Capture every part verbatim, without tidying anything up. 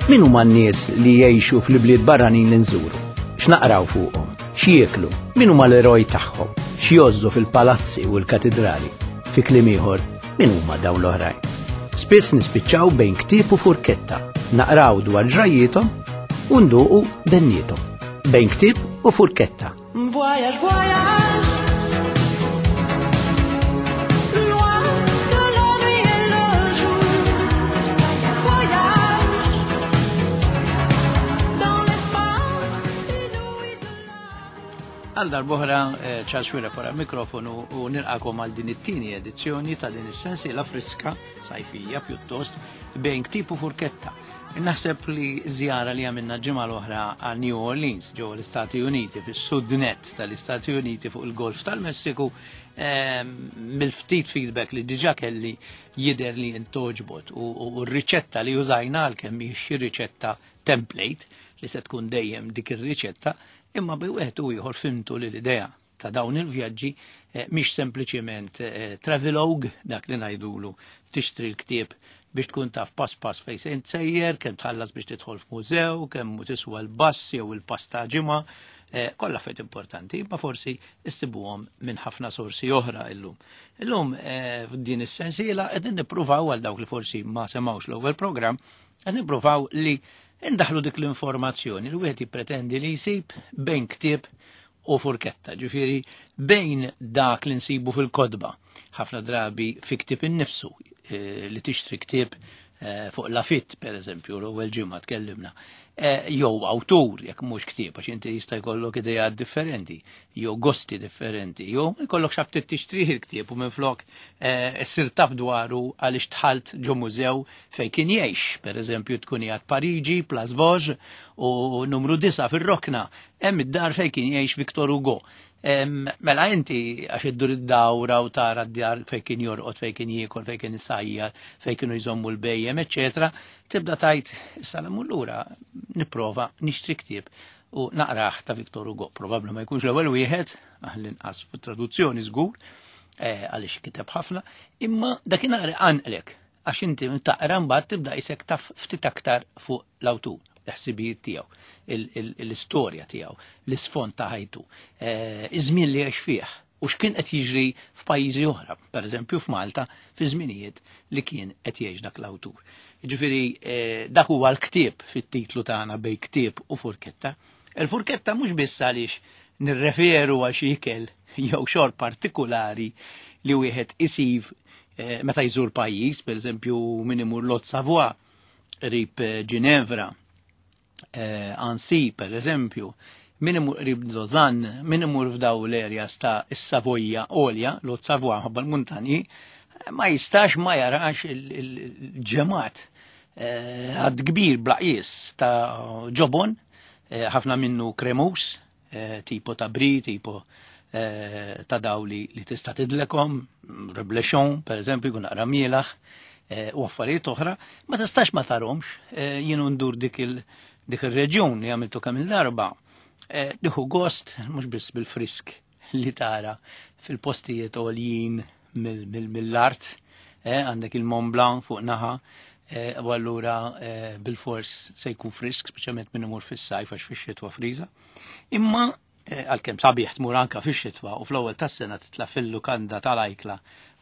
Min huma n-nies li jgħixu fl-ibliet barranin li nżuru? X'naqraw fuqhom? X'jieklu? Min huma l-eroj tagħhom? X'jgħożżu fil-palazzi u l-katidrali? Fi kliem ieħor, min huma dawn l-oħrajn? Spiss nispiċċaw bejn ktieb u furketta, naqraw dwar ġrajjiethom u nduqu benniethom. Bejn ktieb u furketta. Voyage, voyage. Loin de la nuit et le jour. Voyage. Dans l'espace inouï de la Għal darb'oħra eh, Charles Xuereb wara mikrofonu u nilqagħkom għal din it-tieni edizzjoni ta' din is-sensiela friska sajfija pjuttost bejn ktieb u furketta. Naħseb li żjara li għamilna ġimgħa l-oħra għal New Orleans ġewwa l-Istati Uniti fis-sud net tal-Istati Uniti fuq il-Golf tal-Messiku ehm, mill-ftit feedback li diġà kelli jidher li intgħoġbot u u r-riċetta li użajna għalkemm mhix xi riċetta template li se tkun dejjem dik ir-riċetta imma bi wieħed u ieħor fhimtu li l-idea ta' dawn il-vjaġġi eh, mhix sempliċiment eh, travelogue dak li ngħidulu tixtri l-ktieb biex tkun taf pass pass fejn se sejjer, kemm tħallas biex tidħol f'mużew, kemm tiswa l-bass jew il-pass ta' ġimgħa, eh, kollha affarijiet importanti, imma forsi issibuhom minn ħafna sorsi oħra illum. Illum eh, f'din is-sensiela qegħdin nippruvaw għal dawk li forsi ma semgħux l-ewwel programm, qed nippruvaw li indaħlu dik l-informazzjoni li wieħed jippretendi li jsib bejn ktieb u furketta, ġifieri bejn dak li nsibu fil-kotba, ħafna drabi fi ktieb innifsu eh, li tixtri ktieb eh, fuq Lafitte, per eżempju, l-ewwel ġimgħa tkellimna, eh, jew awtur jekk mhux ktieb għax inti jista' jkollok idejat differenti, jew gosti differenti, jew ma jkollok x'aptit tixtrih il-ktieb u minflok issir taf dwaru għaliex dħalt ġo mużew fejn kien jgħix, per eżempju tkun qiegħed Pariġi, Place Vosges u numru disa fir-rokna, hemm id-dar fejn kien jgħix Victor Hugo. Em, Mela inti għax iddur id-dawra u tara d-djar fejn kien jorqod, fejn kien jiekol, fejn kien isajjar, fejn kienu jżommu l-bhejjem, eċetera, tibda tgħid issa l lura nipprova nixtri ktieb u naqrah ta' Victor Hugo. Probabbli ma jkunx l-ewwel wieħed, għall-inqas fit-traduzzjoni żgur, eh, għaliex kiteb ħafna, imma dakinhar għanqlek għax inti taqra mbagħad tibda isek taf ftit aktar fuq l-awtur, l-ħsibijiet tiegħu, l-istorja tiegħu, l-isfond ta' ħajtu, eh, iż-żmien li għex fih u x'kien qed jiġri f'pajjiżi oħra, pereżempju f'Malta, fi żminijiet li kien qed jgħix dak l-awtur. Ġifieri eh, dak huwa l-ktieb fit-titlu tagħna bejn ktieb u furketta. Il-furketta mhux biss għaliex nirreferu għal xi ikel jew xorb partikolari li wieħed isib eh, meta jżur pajjiż, pereżempju min imur l-Haute Savoie, qrib eh, Ginevra, eh, Annecy, per eżempju, min imur qrib Lausanne, min imur f'daw l-areas ta' is-Savoja Olja, l-Haute Savoie ħabba l-muntanji, ma jistax ma jarax il-ġemat għad kbir bla qis ta' ġobon, eh, ħafna minnu kremus, eh, tipo ta' brie, tipo eh, ta' daw li, li tista' tidlekom, reblochon, per eżempju, jkun naqra mielaħ, eh, u affarijiet oħra, ma tistax ma tarahomx, eh, jienu ndur dik il- dik il-reġjun li għamiltu kemm il-darba, eh, nieħu gost, mhux biss bil-frisk li tara fil-postijiet għoljin mill-art, eh, għandek il-Mont Blanc fuq naħa, eh, u allura eh, bil-fors se jkun frisk, speċjalment minn imur fis-sajf għax fix-xitwa friża. Imma eh, għalkemm sabiħ tmur anka fix-xitwa u fl-ewwel tas-sena titla' fil-lukanda tal-ajkla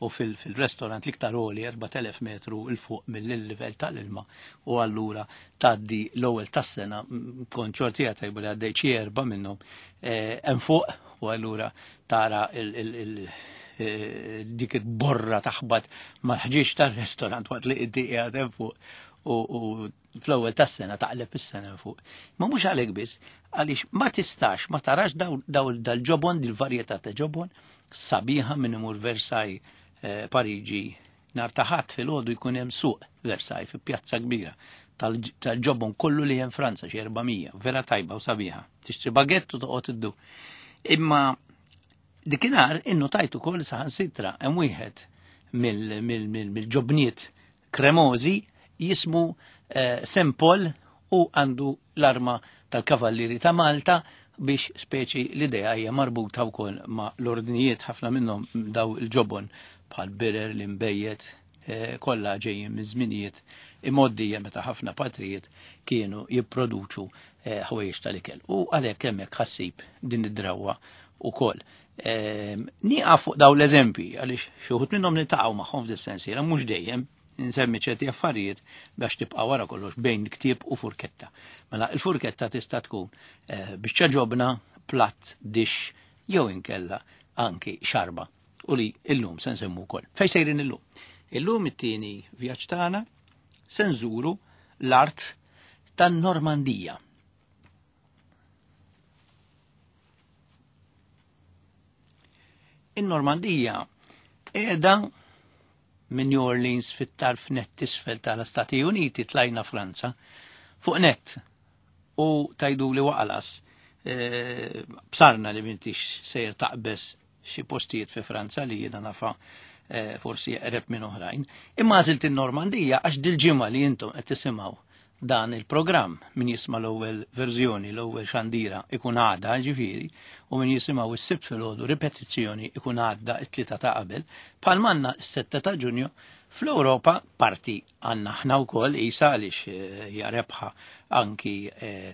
u fil-restorant l-iktar għoli erbat elef metru 'il fuq mill-livell tal-ilma u allura tgħaddi l-ewwel tas-sena mm, kont xortija tajba li għaddej xi erba' minnhom eh, hemm fuq u allura tara il- il- il- eh, dik il-borra taħbat mal-ħġieġ tar-restorant waqt li inti qiegħed hemm fuq u u fl-ewwel tas-sena taqleb is-sena fuq. Ma mhux għalhekk biss, għaliex ma tistax ma tarax daw daw dal-ġobon, dil-varjetà ta' ġobon sabiħa minn imur Versailles, eh, Pariġi, nhar ta' Ħadd filgħodu jkun hemm suq Versailles fi pjazza kbira tal- tal-ġobon kollu li hemm Franza xi erba' mija, vera tajba u sabiħa. Tixtri bagett u toqgħod iddu. Imma dikinhar innotajt ukoll saħansitra hemm wieħed mill-ġobniet kremożi jismu eh, Saint Paul u għandu l-arma tal-Kavallieri ta' Malta biex speċi l-idea hija marbuta wkoll ma' l-ordnijiet ħafna minnhom daw il-ġobon bħal birer, l-inbejjed, Kollha ġejjin minn żminijiet imgħoddija meta ħafna patrijiet kienu jipproduċu ħwejjeġ tal-ikel. U għalhekk hemmhekk ħassib din id-drawwa ukoll. Nieqaf fuq dawn l-eżempji għaliex xi wħud minnhom niltaqgħu magħhom f'dis-sensiela, mhux dejjem nsemmi ċerti affarijiet biex tibqa' wara kollox bejn ktieb u furketta. Mela il-furketta tista' tkun biċċa ġobna, platt, dix jew inkella anki xarba u li illum se nsemmu wkoll. Fejn sejrin illum? Illum it-tieni vjaġġ tagħna se nżuru l-art tan-Normandija. In-Normandija qiegħda minn New Orleans fit-tarf nett isfel tal-Stati Uniti tlajna Franza fuq nett u tajdu li waqalas e, bsarna li m'intix sejr taqbes xi postijiet fi Franza li jiena nafa e, forsi eqreb minn oħrajn. Imma għażilt in-Normandija għax dil-ġimgħa li intom qed tisimgħu dan il-programm, min jisma' l-ewwel verżjoni, l-ewwel xandira ikun għadha ġifieri, u min jisimgħu s-Sibt filgħodu ripetizzjoni ikun għadda t-tlieta ta' qabel, bħal manna s-sitta ta' Ġunju fl-Ewropa parti għandna aħna wkoll isa għaliex hija rebħa anki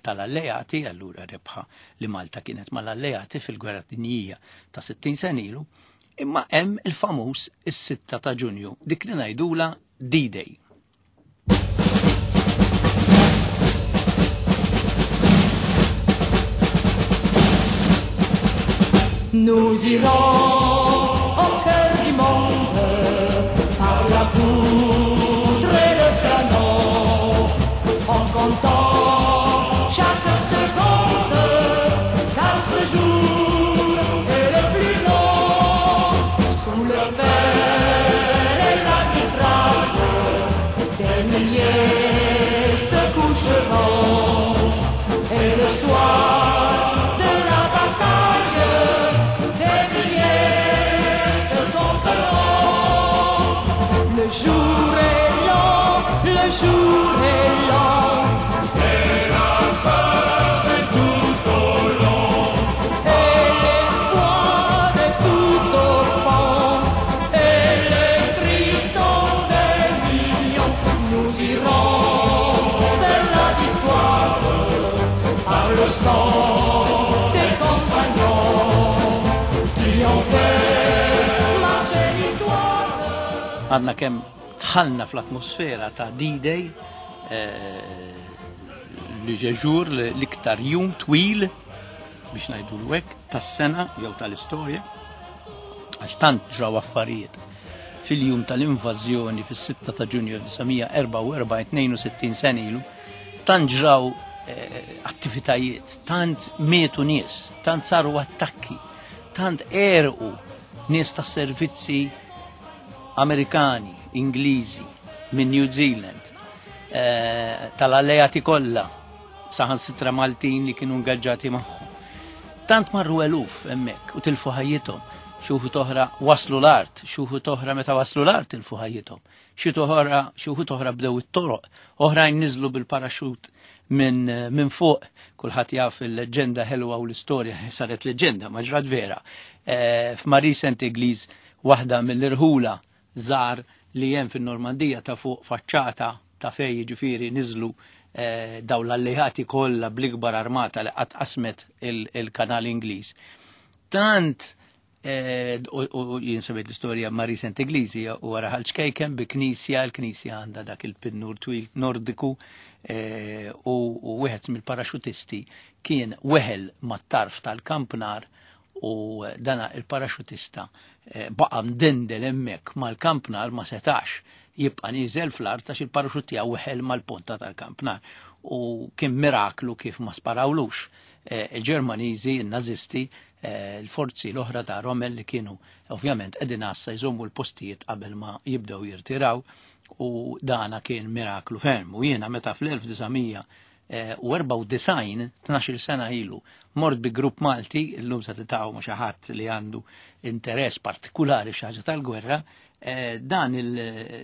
tal-alleati, allura rebħa li Malta kienet mal-alleati fil-Gwerra Dinjija ta' sittin sena ilu, imma hemm il-famuż is-sitta ta' Ġunju, dik li ngħidula D-Day. Nous irons au cœur du monde par la poudre et le canon, en comptant chaque seconde, car ce jour est le plus long. Sous le fer et la mitraille, des milliers se coucheront, et le soir de la bataille, le jour est long, le jour est long, et la peur est tout au long, et l'espoir est tout au fond, et les cris sont des millions. Nous irons vers la victoire par le sang des compagnons qui ont fait marcher l'histoire. Għadna kemm tħallna fl-atmosfera ta' D-Day, li ġeġur l-iktar jum twil biex ngħidu l-wek tas-sena jew tal-istorja, għax tant ġraw affarijiet fil-jum tal-invażjoni fis-sitta ta' Ġunju elf disa' mija erbgħa u erbgħin, tnejn u sittin sena ilu, tant ġraw attivitajiet, tant mietu nies, tant saru attakki, tant erqu nies tas-servizzi Amerikani, Ingliżi, minn New Zealand, eh, tal-alleati kollha, saħansitra Maltin li kienu ingaġġati magħhom. Tant marru eluf hemmhekk u tilfu ħajjithom, xi wħud oħra waslu l-art, xi wħud oħra meta waslu l-art tilfu ħajjithom, xi oħra xi wħud oħra bdew it-toroq, oħrajn niżlu bil-paraxut minn min fuq, kulħadd jaf il-leġenda ħelwa u l-istorja saret leġenda, ma ġrat vera. Eh, F'Marie Saint-Église, waħda mill-irħula żgħar li hemm fin-Normandija ta' fuq faċċata ta' fej jiġifieri niżlu eh, daw l-alleati kollha bl-ikbar armata li qatt qasmet il-kanal Ingliż. Tant eh, u jien semmejt l-istorja Marie Saint-Église u wara ħal ċkejken bi knisja, l-knisja għandha dak il-pinnur twil nordiku, eh, u wieħed mill-paraxutisti kien weħel mat-tarf tal-kampnar u dana il-paraxutista baqa mdendel hemmhekk mal-kampnar ma setax jibqa' nieżel fl-art għax il-paraxut tiegħu weħel mal-ponta tal-kampnar. U kien miraklu kif ma sparawlux il-Ġermaniżi, il-Nazisti, il-forzi l-oħra ta' Rommel li kienu ovvjament qegħdin għassa jżommu l-postijiet qabel ma jibdew jirtiraw, u dana kien miraklu ferm. U jiena meta fl-elf disa' mija u erbgħa u disgħin, tnax-il sena ilu, mort bi grupp Malti, illum se titgħu ma' xi ħadd li għandu interess partikulari f'xi ħaġa tal-gwerra, dan il,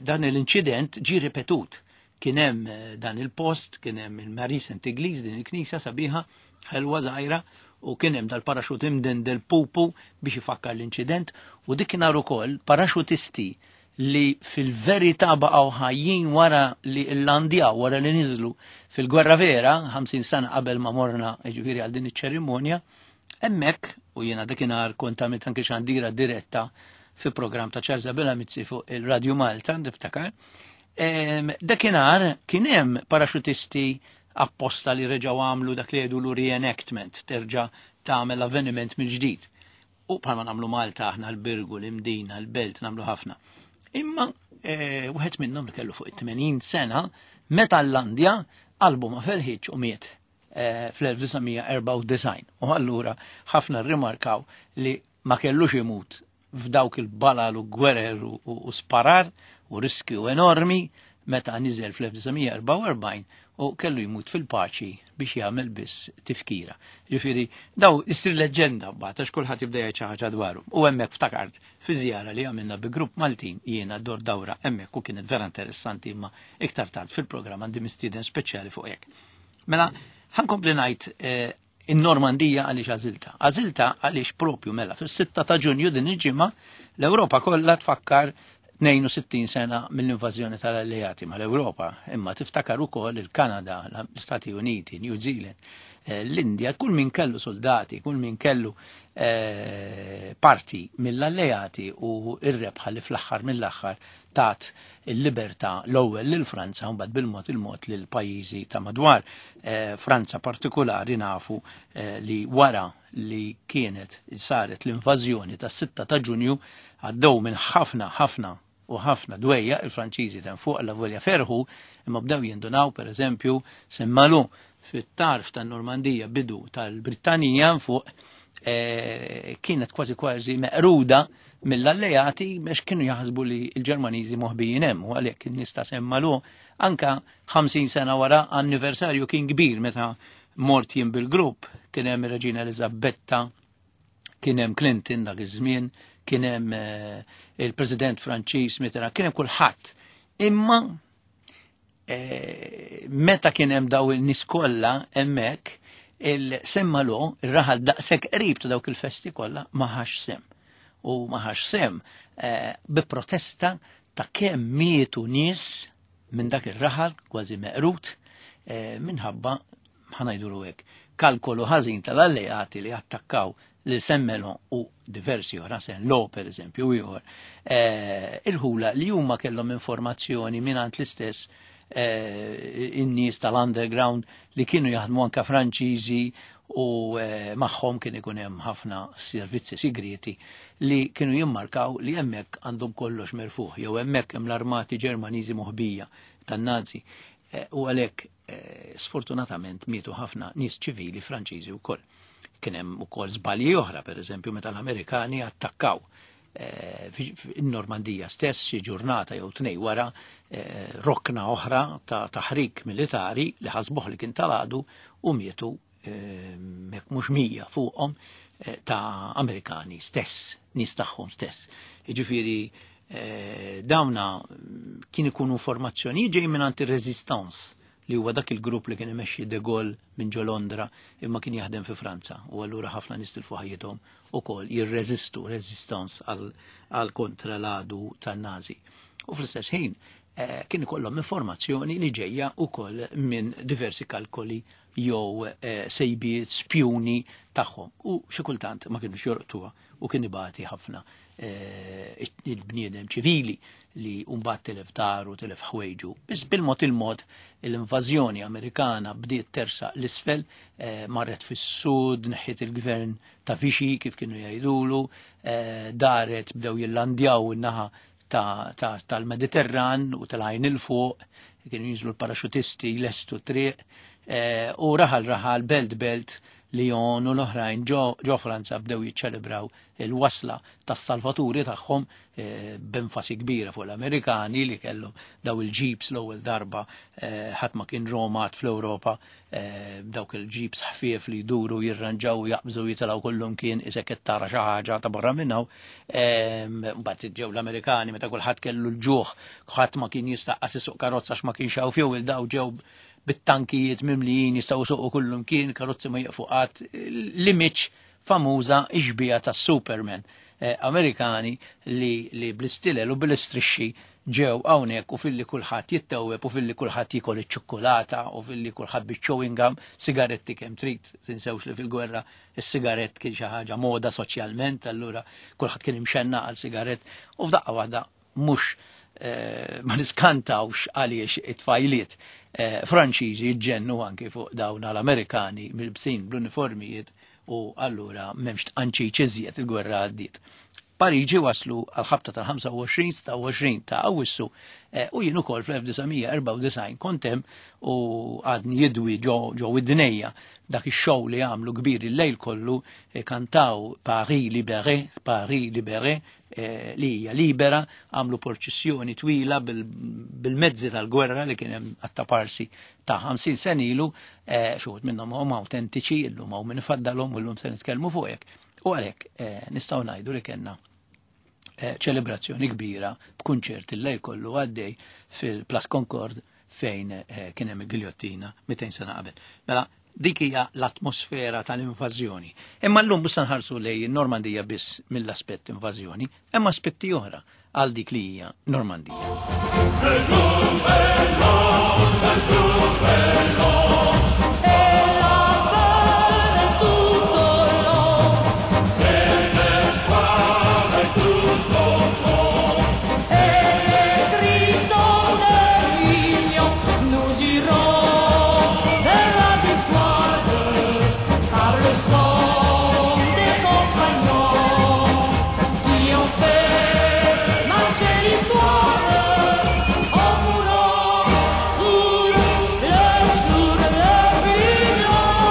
dan l-inċident ġie ripetut. Kien hemm dan il-post, kien hemm il-Marie Saint-Église, din il-knisja sabiħa, ħelwa żgħira, u kien hemm dal-paraxut imdendel pupu biex ifakkar l-inċident, u dik nhar ukoll paraxutisti li fil-verità baqgħu ħajjin wara li llandjaw, wara li niżlu fil-gwerra vera, ħamsin sena qabel ma morna ġifieri għal din iċ-ċerimonja, hemmhekk, u jiena dakinhar kont għamilt anke xandira diretta fi programm ta' Charles Abela Mizzi fuq il-Radio Malta, niftakar, dakinhar kien hemm paraxutisti apposta li reġgħu għamlu dak li jgħidu reenactment, terġa' tagħmel avveniment mill-ġdid. U bħalma nagħmlu Malta aħna l-Birgu, l-Imdina, l-Belt, nagħmlu ħafna. Imma wieħed minnhom li kellu fuq it-tmenin sena, meta llandja qalbu ma felħitx u miet fl-elf disa' mija erbgħa u disgħin. U allura ħafna rrimarkaw li ma kellux imut f'dawk il-balal u gwerer u sparar u riskju enormi meta niżel fl-elf disa' mija erbgħa u erbgħin u kellu jmut fil-paċi biex jagħmel biss tifkira. Ġifieri daw issir leġenda mbagħad għax kulħadd jibda jgħid xi ħaġa dwaru. U hemmhekk ftakart fi żjara li għamilna bi grupp Maltin jiena dor dawra hemmhekk u kienet vera interessanti, imma iktar tard fil-programm għandi mistieden speċjali fuq hekk. Mela ħankompli ngħid in-Normandija għaliex għażilta. Għażilta għaliex propju mela fis-sitta ta' Ġunju din il-ġimgħa l-Ewropa kollha tfakkar tnejn u sittin sena mill-invażjoni tal-Alleati mal-Ewropa, imma tiftakar ukoll il-Kanada, l-Istati Uniti, New Zealand, l-Indja, kull min kellu soldati, kull min kellu parti mill-Alleati u r-rebħa li fl-aħħar mill-aħħar tat il-libertà l-ewwel lil Franza u mbagħad bil-mod il-mod lil pajjiżi ta' madwar. Franza partikolari nafu li wara li kienet saret l-invażjoni tas-sitta ta' Ġunju għaddew minn ħafna ħafna u ħafna dwejja il-Franċiżi tan fuq la volja ferħu, imma bdew jindunaw pereżempju Saint-Malo fit-tarf tan-Normandija bidu tal-Brittanija fuq kienet kważi kważi meqruda mill-alleati biex kienu jaħsbu li l-Ġermaniżi moħbijin hemm, u għalhekk in-nies ta' Saint-Malo anka ħamsin sena wara anniversarju kien kbir meta mort jien bil-grupp, kien hemm ir-Reġina Eliżabetta, kien hemm Clinton dak iż-żmien, kien hemm il-President Franċiż Mitterrand, kien hemm kulħadd. Imma meta kien hemm daw in-nies kollha hemmhekk, il-Saint-Malo, ir-raħal daqshekk qrib ta' dawk il-festi kollha, ma ħax sem. U ma ħax sem bi protesta ta' kemm mietu nies minn dak ir-raħal kważi meqrut minħabba, ħanajdulu hekk, kalkolu ħażin tal-alleati li attakkaw li Saint-Malo u diversi oħra, Saint-Lô per eżempju, u ieħor, il-ħula li huma kellhom informazzjoni mingħand l-istess in-nies tal-underground li kienu jaħdmu anka Franċiżi u magħhom kien ikun hemm ħafna servizzi segreti li kienu jimmarkaw li hemmhekk għandhom kollox merfuħ jew hemmhekk hemm l-armati Ġermaniżi moħbija tan-Nazi. U għalhekk sfortunatament mietu ħafna nies ċivili Franċiżi wkoll. Kien hemm ukoll żbalji oħra, pereżempju meta l-Amerikani attakkaw in-Normandija stess xi ġurnata jew tnej wara rokna oħra ta' taħrik militari li ħasbuh li kien tal-għadu u mietu jekk mhux mija fuqhom ta' Amerikani stess, nies tagħhom stess. Jiġifieri dawna kien ikunu formazzjoni ġej minn anti-resistance li huwa dak il-grupp li kien imexxi De Gaulle minn ġo Londra imma kien jaħdem fi Franza, u allura ħafna nies tilfu ħajjithom ukoll jirreżistu resistance għal kontra l-għadu tan-Nazi. U fl-istess ħin kien ikollhom informazzjoni li ġejja ukoll minn diversi kalkoli jew sejbiet spjuni tagħhom, u xi kultant ma kienux jorqtuha u kien ibati ħafna il-bniedem ċivili li mbagħad tilef daru, tilef ħwejġu. Biss bil-mod il-mod l-invażjoni Amerikana bdiet tersaq l-isfel, marret fis-sud, neħħiet il-gvern ta' Vichy kif kienu jgħidulu, daret bdew jillandjaw in-naħa tal-Mediterran u tal-għajn il-fuq, kienu jinżlu l-paraxutisti lestu triq, u raħal raħal, belt belt, Lyon u l-oħrajn ġo Franza bdew jiċċelebraw il-wasla tas-salvaturi tagħhom b'enfasi kbira fuq l-Amerikani li kellhom daw il-jeeps l-ewwel darba ħadd ma kien romat fl-Ewropa, dawk il-jeeps ħfief li jduru jirranġaw jaqbżu jitilgħu kullum kien isek qed tara xi ħaġa ta' barra minn hawn. Mbagħad ġew l-Amerikani meta kulħadd kellu l-ġuħ, ħadd ma kien jista' qas isuq karozza għax ma kienx hawn fuel, daw ġew bit-tankijiet mimlijin jistgħu suqu kullum kien, karozzi ma jieqfu qatt, l-image famuża ixbija tas-Superman Amerikani li, li bl-istilel u bil-istrixxi ġew hawnhekk u filli kulħadd jittewweb u filli kulħadd jiekol iċ-ċukkulata u filli kulħadd biċ-chewing gum, sigaretti kemm trid, tinsewx li fil-gwerra is-sigarett kien xi ħaġa moda soċjalment, allura kulħadd kien imxenna għal sigarett u f'daqqa waħda mhux eh, ma niskantawx għaliex it-tfajliet eh, Franċiżi jiġġennu anki fuq dawn l-Amerikani milbsin bl-uniformijiet u allura m'hemmx tqanċiċ iżjed, il-gwerra għaddiet. Pariġi waslu għal-ħabta tal-ħamsa u għoxrin, sitta u għoxrin ta' Awwissu, eh, u jien ukoll fl-elf disa' mija erbgħa u disgħin kont hemm u għadni jidwi ġo, ġo widnejja dak ix-show li għamlu kbir il-lejl kollu, eh, kantaw Paris Libéré, Paris Libéré, eh, li hija libera, għamlu porċissjoni twila bil-, bil-mezzi tal-gwerra li kien hemm attaparsi ta' ħamsin sen ilu, eh, xi wħud minnhom huma autentiċi, illum hawn min ifaddalhom u llum se nitkellmu fuq hekk. U għalhekk, eh, nistgħu ngħidu li kellna, eh, ċelebrazzjoni kbira b'kunċert il-lejl kollu għaddej fil-Place Concorde fejn, eh, kien hemm il-giljottina mitejn sena qabel. Mela dik hija l-atmosfera tal-invażjoni. Imma llum mhux se nħarsu lejn Normandija biss mill-aspett invażjoni, hemm aspetti oħra għal dik li hija Normandija. Le jour est long, le jour est long. Et la peur est tout au long. Et l'espoir est tout au fond. Et les cris sont de l'union. Nous irons vers la victoire par le sang des compagnons qui ont fait marcher l'histoire en mourant pour le jour le plus grand.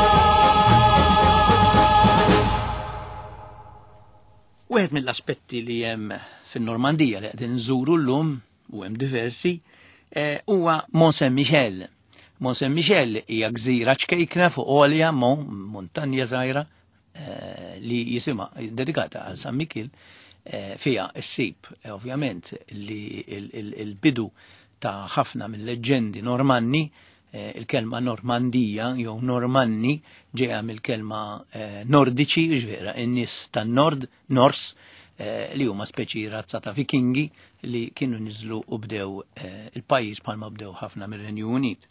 Wieħed mill-aspetti li hemm fin-Normandija li qegħdin nżuru llum, u hemm diversi, eh, huwa Mont Saint-Michel. Mont Saint-Michel hija gżira ċkejkna fuq għolja, mon-, montanja żgħira, eh, li jisimha dedikata għal San Mikiel, eh, fiha ssib, eh, ovvjament li il-, il-, il-bidu ta' ħafna mill-leġendi Normanni, eh, il-kelma Normandija jew Normanni ġejja mill-kelma, eh, Nordiċi, ġvera, in-nies tan-Nord, Nors, eh, li huma speċi razza ta' Vikingi li kienu niżlu u bdew, eh, il-pajjiż bħalma bdew ħafna mir-Renju Unit.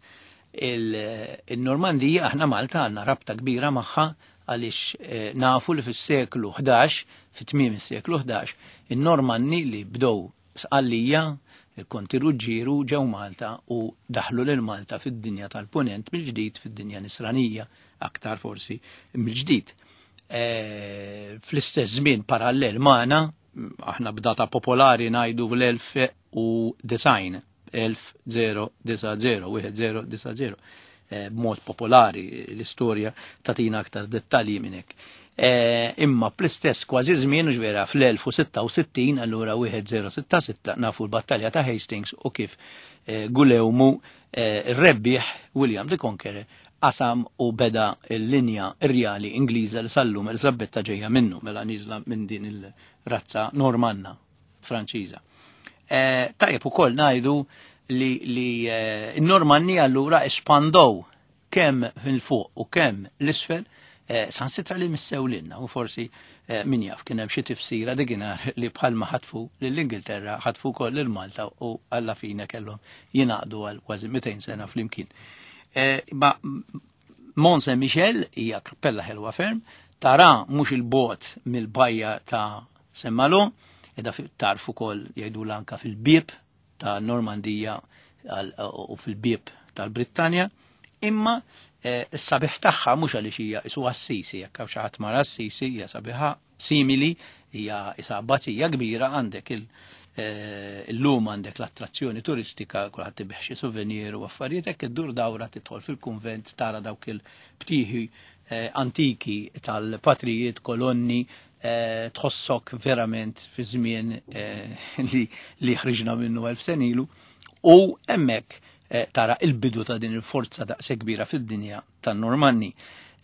Il-, il-Normandija aħna Malta għandna rabta kbira magħha għaliex, eh, nafu li fis-seklu ħdax, fit-tmiem is-seklu ħdax, in-Normanni li bdew Sqallija, il-Konti Ruġġieru ġew Malta u daħlu lil Malta fid-dinja tal-Punent mill-ġdid, fid-dinja nisranija, aktar forsi mill-ġdid. Eh, fl-istess żmien parallel magħna, aħna b'data popolari ngħidu l-elf u design, elf zero disa zero, wieħed zero disa zero. Eh, b'mod popolari l-istorja tatina aktar dettalji minn hekk. Eh, imma bl-istess kważi żmien, ġvera fl-elf u sitta u sittin, allura wieħed zero sitta sitta, nafu l-battalja ta' Hastings u kif, eh, Gulewmu, eh, ir-rebbieħ William the Conqueror qasam u beda l-linja rjali Ingliża li sallum Elżabetta ġejja minnu, mela niżla minn din il-razza Normanna Franċiża. Eh, tajjeb ukoll ngħidu li, li, eh, n-Normanni allura espandow kemm fil-fuq u kemm l-isfel, eh, sansitra li missew lilna u forsi, eh, min jaf kien hemm xi tifsira dikinhar li bħalma ħatfu lill-Ingilterra ħatfu wkoll lil Malta u alla fina kellhom jingħaqdu għal kważi mitejn sena flimkien. Eh, ma Mont Saint-Michel hija kappella ħelwa ferm, tara mhux il-bogħod mill-bajja ta' Saint-Malo, edha fi-, tarfu ukoll jgħidu anka fil-bieb ta' Normandija għal-, u fil-bieb tal-Brittanja, imma, eh, s-sabiħ tagħha mhux għaliex hija isu Assisi, jekk hawn xi ħadd mar Assisi hija sabiħa simili, hija isa abbazija kbira, għandek il-, eh, illum għandek l-attrazzjoni turistika, kulħadd tibih xi souvenir u affarijiet, hekk iddur dawra tidħol fil-kunvent tara dawk il-btieħi, eh, antiki tal-patrijiet, kolonni, eh, tħossok verament fi żmien, eh, li, li ħriġna minnu elf sen ilu, u hemmhekk, eh, tara il-bidu ta' din il-forza daqshekk kbira fid-dinja tan-Normanni.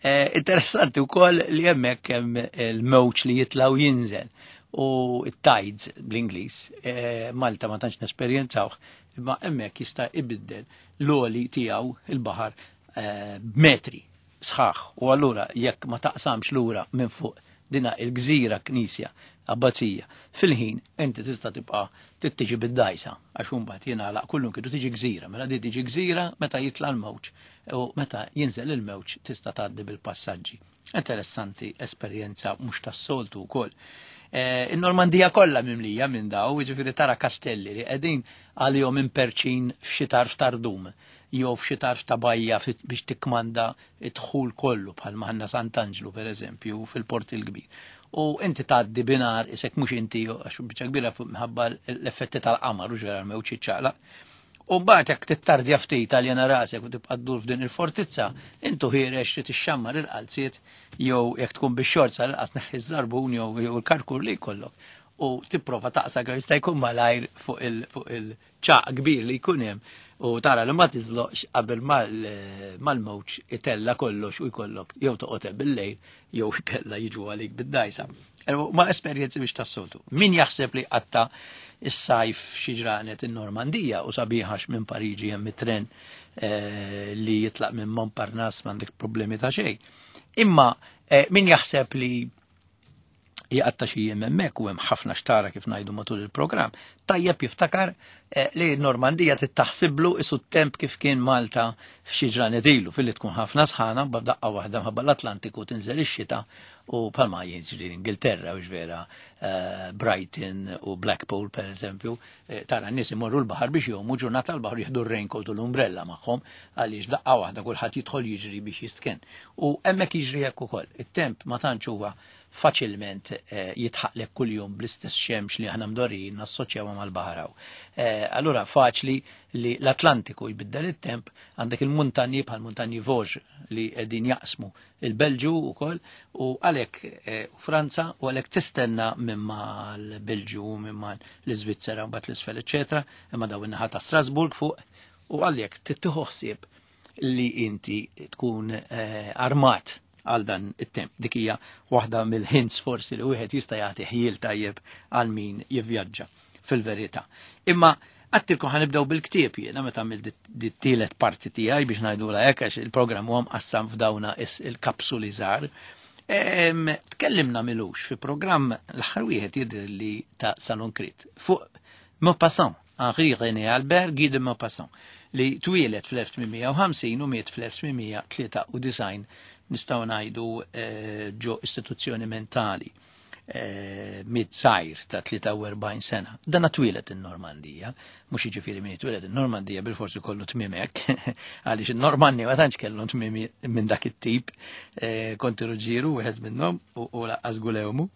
Eh, interessanti wkoll li hemmhekk hemm il-mewġ li jitla' u jinżel u it-tides bl-Ingliż, eh, Malta ma tantx nesperjenzawh, imma hemmhekk jista' ibiddel l-għoli tiegħu il-baħar, eh, b'metri sħaħ, u allura jekk ma taqsamx lura minn fuq dina il-gżira knisja abbazija. Fil-ħin inti tista' tibqa' tittiġi bid-dajsa għax imbagħad jingħalaq kullum kienu tiġi gżira, mela di tiġi gżira meta jitla' l-mewġ u meta jinżel il-mewġ tista' tgħaddi bil-passaġġi. Interessanti esperjenza mhux tas-soltu wkoll. In-Normandija kollha mimlija minn daw, jiġifieri tara kastelli li qegħdin għalihom imperċin f'xi tarf tardum jew f'xi tarf ta' bajja biex tikkmanda d-dħul kollu bħalma għandna Sant'Anġlu pereżempju fil-Port il-Kbir. U inti tgħaddi binar isek mhux inti għax biċċa kbira minħabba l-effetti tal-qamar u ġara mewġ iċċaqlaq. U mbagħad jekk tittardja ftit għaljena rasek u tibqa' ddur f'din il-fortizza, intu ħierex trid ixxammar il-qalziet jew jekk tkun bix-xorza l-qas neħħi ż-żarbun jew il-karkur li jkollok. U tipprova taqsa kemm jista' jkun malajr fuq il-ċaq kbir li jkun hemm u tara li ma tiżloqx qabel mal-mewġ itella kollox u jkollok jew toqgħod bil-lejl jew ikella jiġu għalik bid-dajsa. Ma esperjenzi biex tas-soltu. Min jaħseb li qatta is-sajf xi ġranet in-Normandija u sabiħax minn Pariġi hemm it-tren li jitlaq minn Montparnasse m'għandek problemi ta' xejn. Imma min jaħseb li jgħatta xi jiem hemmhekk u hemm ħafna xtara kif ngħidu matul il-programm, tajjeb jiftakar li n-Normandija tittaħsiblu isu t-temp kif kien Malta f'xi ġranet ilu filli tkun ħafna sħana b'daqqa waħda minħabba l-Atlantiku tinżel ix-xita u bħalma jiġri l-Ingilterra u vera Brighton u Blackpool per eżempju, tara n-nies imorru l-baħar biex jgħumu ġurnata l-baħar jieħdu r-raincoat u l-umbrella magħhom għaliex daqqa waħda kulħadd jidħol jiġri biex jistken. U hemmhekk jiġri hekk ukoll. It-temp ma tantx huwa faċilment jitħaqlek kuljum bl-istess xemx li aħna mdorrijin nassoċjawha mal-baħar hawn. Allura faċli li l-Atlantiku jbiddel it-temp, għandek il-muntanji bħal muntanji Vosges li qegħdin jaqsmu il-Belġu wkoll u għalhekk Franza u għalhekk tistenna minn mal-Belġu minn mal-Iżvizzera mbagħad l-isfel eċetera, imma daw in-naħa ta' Strasburg fuq u għalhekk tittieħu ħsieb li inti tkun armat għal dan it-temp. Dik hija waħda mill-hints forsi li wieħed jista' jagħti ħjiel tajjeb għal min jivvjaġġa fil-verità. Imma għattilkom ħanibdew bil-ktieb jiena meta għamilt dit-tielet parti tiegħi biex ngħidulha hekk għax il-programm huwa mqassam f'dawna il-kapsuli żgħar. Tkellimna milux fi programm l-aħħar wieħed jidher li ta' Salon Krit fuq Maupassant, Henri René Albert Guy de Maupassant, li twieled fl-elf tmien u ħamsin u miet fl-elf tmien mija tlieta u disgħin nistgħu ngħidu ġo istituzzjoni mentali miet żgħir ta' tlieta u erbgħin sena. Dan twieled in-Normandija, mhux jiġifieri min twieled in-Normandija bilforsi kollu tmiem hekk, għaliex in-Normanni ma tantx kellhom tmiem minn dak it-tip, konti Ruġġieru wieħed minnhom u laqqas Gulewmu.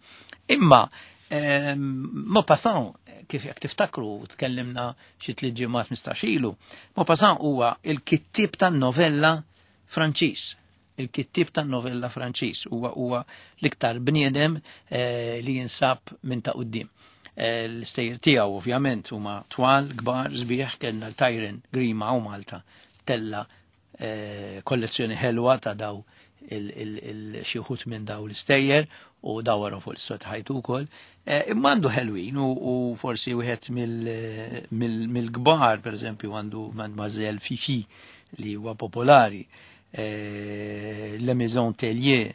Imma Maupassant, kif jekk tiftakru tkellimna xi tliet ġimgħat mistax ilu, Maupassant huwa il-kittieb tan-novella Franċiż. Il-kittieb tan-novella Franċiż huwa huwa l-iktar bniedem li jinsab minn ta' quddiem. L-istejjer tiegħu ovvjament huma twal, kbar, sbieħ, kellna l-Tyron Grima u Malta tella kollezzjoni ħelwa ta' daw il-xi wħud minn daw l-istejjer u dawwarhom fuq l-istot ħajtu wkoll. Imma għandu ħelwin u forsi wieħed mill-kbar, pereżempju għandu Mademoiselle Fifi li huwa popolari, La Maison Tellier,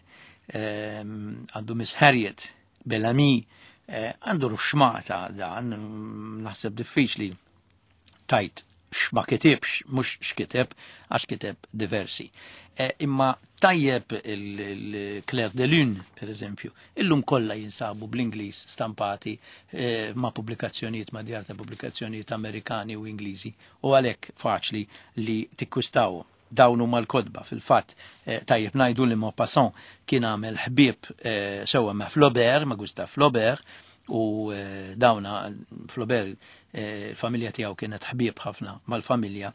għandu Miss Harriet, Bellamy, għandu ruxmata dan, naħseb diffiċli tajt x'ma kitibx, mhux x'kiteb, għax kiteb diversi. Imma tajjeb il-Clair de Lune, per eżempju, illum kollha jinsabu bl-Ingliż stampati ma' pubblikazzjonijiet, ma' djar ta' pubblikazzjonijiet Amerikani u Ingliżi, u għalhekk faċli li tikkwistaw dawn huma l-kotba. Fil-fatt tajjeb ngħidu li Maupassant kien għamel ħbieb sewwa ma' Flaubert, ma' Gustave Flaubert, u dawna Flaubert il-familja tiegħu kienet ħbieb ħafna mal-familja,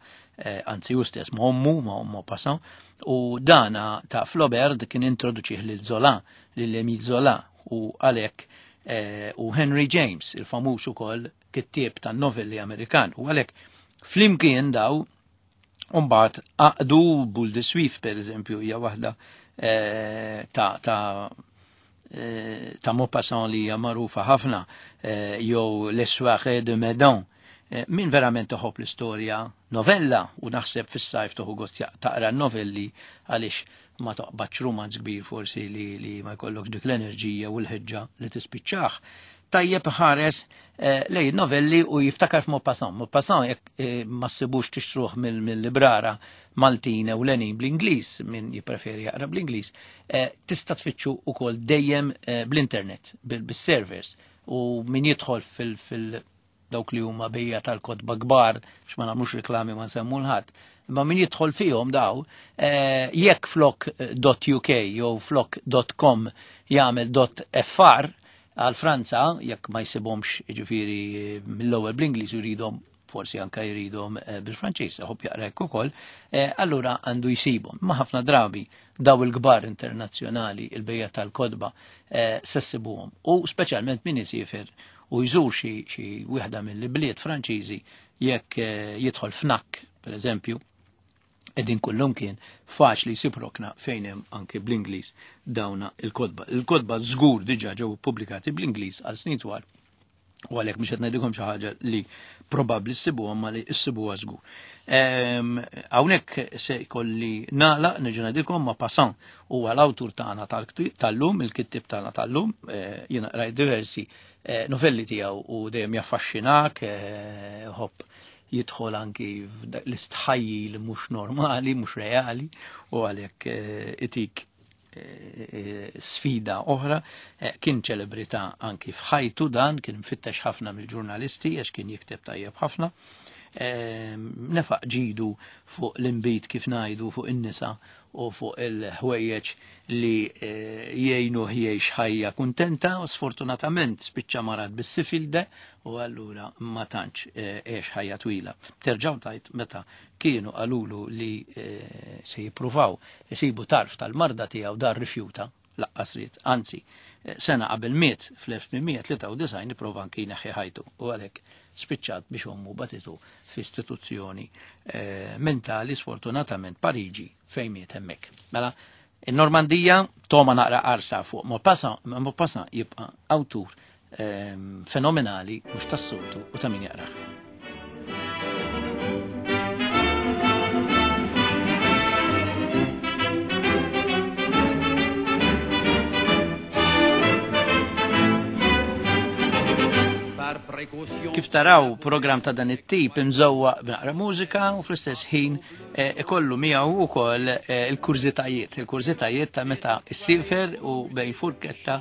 anzi hu stess ma' ommu, ma' ommu Maupassant, u dana ta' Flaubert kien introduċih lil Zola, lil Émile Zola, u għalhekk u Henry James, il-famuż ukoll kittieb tan-novelli Amerikan, u għalhekk flimkien daw mbagħad għaqdu Boule de Suif, per eżempju, hija waħda ta' ta' ta' Maupassant li hija magħrufa ħafna, jew Les Soirées de Meudon. Min verament toħob l-istorja novella, u naħseb fis-sajf toħu gost taqra novelli għaliex ma taqbadx rumanz kbir forsi li, li ma jkollokx dik l-enerġija u l-ħeġġa li tispiċċaħ. Tajjeb ħares eh, lej novelli u jiftakar f'Maupassant. Maupassant jekk eh, ma ssibux tixtruh mill-librara Maltina u Lenin bl-Ingliż, min jippreferi jaqra bl-Ingliż, eh, tista' tfittxu ukoll dejjem eh, bl-internet, bil-servers, u min jidħol fil-, fil dawk li huma bejja tal-kotba kbar, biex ma nagħmlux reklami ma nsemmu l-ħadd, imma min jidħol fihom daw, eh, jekk flok .uk jew flok .com jagħmel .fr għal Franza, jekk ma jsibhomx jiġifieri mill-ewwel bl-Ingliż jridhom forsi anka jridhom bil-Franċiż, iħobb jaqra hekk ukoll, allura għandu jsibhom. Ma ħafna drabi daw il-kbar internazzjonali, il-bejja tal-kotba, se ssibuhom. U speċjalment min isiefer u jżur xi xi wieħda mill-bliet Franċiżi, jekk jidħol Fnac, per eżempju, qegħdin kullum kien faċli jsib rokna fejn hemm anke bl-Ingliż dawna il-kotba. Il-kotba żgur diġà ġew ippubblikati bl-Ingliż għal snin twal, u għalhekk mhux qed ngħidilkom xi ħaġa li probabbli ssibuha ma li ssibuha żgur. Hawnhekk se jkolli nagħlaq, nerġa' ngħidilkom Maupassant huwa l-awtur tagħna tal-lum, il-kittieb tagħna tal-lum, jiena qrajt diversi novelli tiegħu u dejjem jaffaxxinak, ħobb jidħol anki l-istħajji li mhux normali, mhux reali, u għalhekk itik sfida oħra. Kien ċelebrità anki f'ħajtu dan, kien mfittex ħafna mill-ġurnalisti għax kien jikteb tajjeb ħafna. Nefaq ġidu fuq l-inbid kif ngħidu, fuq in-nisa u fuq il-ħwejjeġ li jgħinu jgħix ħajja kuntenta, u sfortunatament spiċċa marad bis-sifilde u allura ma tantx għex ħajja twila. Terġgħu tajt meta kienu qalulu li se jippruvaw isibu tarf tal-marda tiegħu, dar rifjuta laqqas ried, anzi sena qabel miet fl-elf tmien tlieta u disgħin ipprova anki jneħħi ħajtu, u għalhekk spiċċat biex ommu batitu f'istituzzjoni mentali, sfortunatament Pariġi, fejn miet hemmhekk. Mela, in-Normandija toma naqra qarsa fuq Maupassant, ma Maupassant jibqa' awtur fenomenali mhux tas-soltu u ta' min jaqrah. Kif taraw program ta' dan it-tip imżewwa b'naqra mużika u fl-istess ħin ikollu miegħu wkoll il-kurżitajiet, il-kurżitajiet ta' meta ssifer u bejn furketta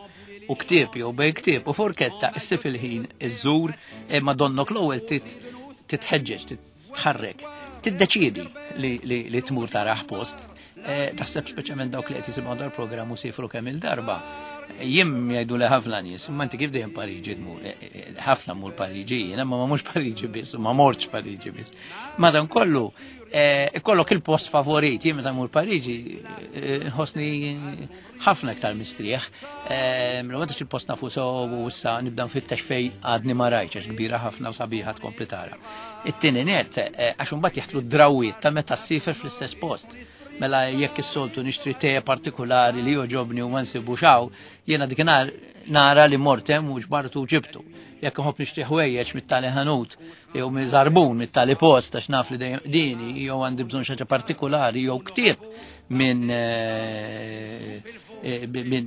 u ktieb jew bejn ktieb u furketta issib il-ħin iżżur, imma donnok l-ewwel titħeġġeġ, titħarrek, tiddeċiedi li tmur taraħ post. Taħseb speċjalment dawk li qed jisimgħu dal-programm u sifru kemm il-darba. Jiem jgħidu li ħafna nies, imma inti kif dejjem Pariġi tmur, ħafna mur Pariġi jien, imma ma mhux Pariġi biss, u ma mortx Pariġi biss. Madankollu, ikollok il-post favorit, jien meta mur Pariġi nħossni ħafna iktar mistrieħ. Mela m'għandux il-post nafu sew u issa nibda nfittex fejn għadni ma rajtx għax kbira ħafna u sabiħa tkompli tara. It-tieni net, għax imbagħad jaħtlu d-drawwiet ta' meta ssifer fl-istess post. Mela jekk is-soltu nixtri te partikolari li joġobni u ma nsibux hawn, jiena dik nara li mort hemm u ġbartu u ġibtu. Jekk inħobb nixtri ħwejjeġ mit-tali ħanut jew miżarbun mit-tali post għax naf li dejjem dini, jew għandi bżonn xi ħaġa partikolari jew ktieb minn